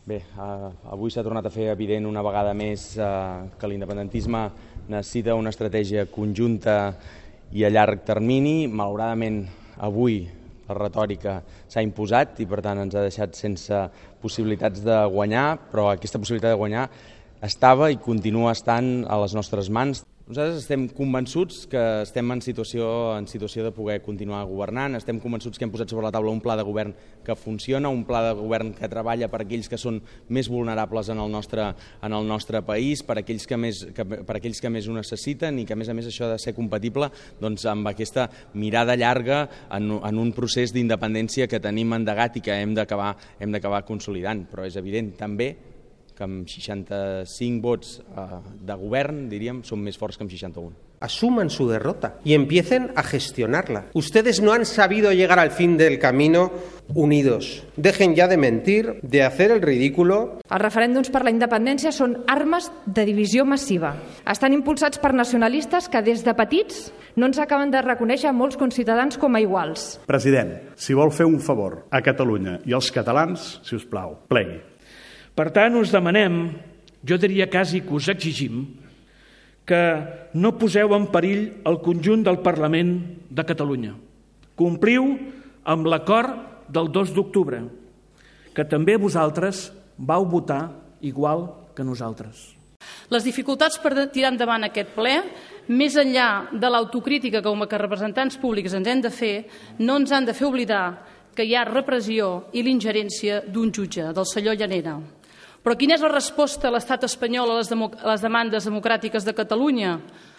Bé, avui s'ha tornat a fer evident una vegada més que l'independentisme necessita una estratègia conjunta i a llarg termini. Malauradament, avui la retòrica s'ha imposat i, per tant, ens ha deixat sense possibilitats de guanyar, però aquesta possibilitat de guanyar estava i continua estant a les nostres mans. Nosaltres estem convençuts que estem en situació de poder continuar governant, estem convençuts que hem posat sobre la taula un pla de govern que funciona, un pla de govern que treballa per aquells que són més vulnerables en el nostre país, per aquells que més ho necessiten i que, a més això ha de ser compatible amb aquesta mirada llarga en un procés d'independència que tenim endegat i que hem d'acabar consolidant. Però és evident també que amb 65 vots de govern, diríem, són més forts que amb 61. Asuman su derrota y empiecen a gestionarla. Ustedes no han sabido llegar al fin del camino unidos. Dejen ya de mentir, de hacer el ridículo. Els referèndums per la independència són armes de divisió massiva. Estan impulsats per nacionalistes que des de petits no ens acaben de reconèixer molts conciutadans com a iguals. President, si vol fer un favor a Catalunya i als catalans, si us plau, plegui. Per tant, us demanem, jo diria quasi que us exigim, que no poseu en perill el conjunt del Parlament de Catalunya. Compliu amb l'acord del 2 d'octubre, que també vosaltres vau votar igual que nosaltres. Les dificultats per tirar endavant aquest ple, més enllà de l'autocrítica com a representants públics ens hem de fer, no ens han de fer oblidar que hi ha repressió i l'ingerència d'un jutge, del senyor Llanera. Però quina és la resposta a l'estat espanyol a les demandes democràtiques de Catalunya?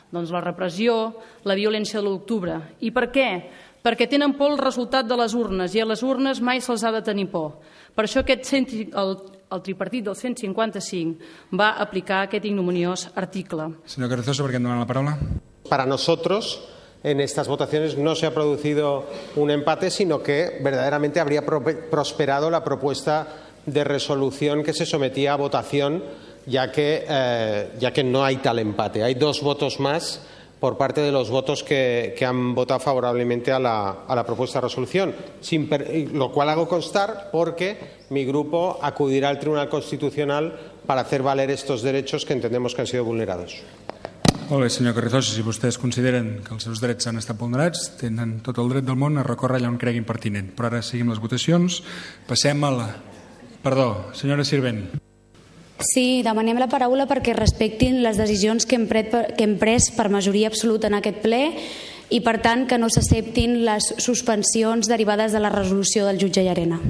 Doncs la repressió, la violència de l'octubre. I per què? Perquè tenen por el resultat de les urnes i a les urnes mai se'ls ha de tenir por. Per això el tripartit del 155 va aplicar aquest ignominiós article. Senyor Carrizosa, ¿por qué no dan la palabra? Para nosotros, en estas votaciones no se ha producido un empate, sino que verdaderamente habría prosperado la propuesta de resolución que se sometía a votación, ya que no hay tal empate. Hay 2 votos más por parte de los votos que han votado favorablemente a la propuesta de resolución, lo cual hago constar porque mi grupo acudirá al Tribunal Constitucional para hacer valer estos derechos que entendemos que han sido vulnerados. Molt bé, senyor Carrizosa, si vostès consideren que els seus drets han estat vulnerats, tenen tot el dret del món a recórrer allà on creguin pertinent. Però ara seguim les votacions. Passem a la... Perdó, senyora Sirvent. Sí, demanem la paraula perquè respectin les decisions que hem pres per majoria absoluta en aquest ple i, per tant, que no s'acceptin les suspensions derivades de la resolució del jutge Llarena.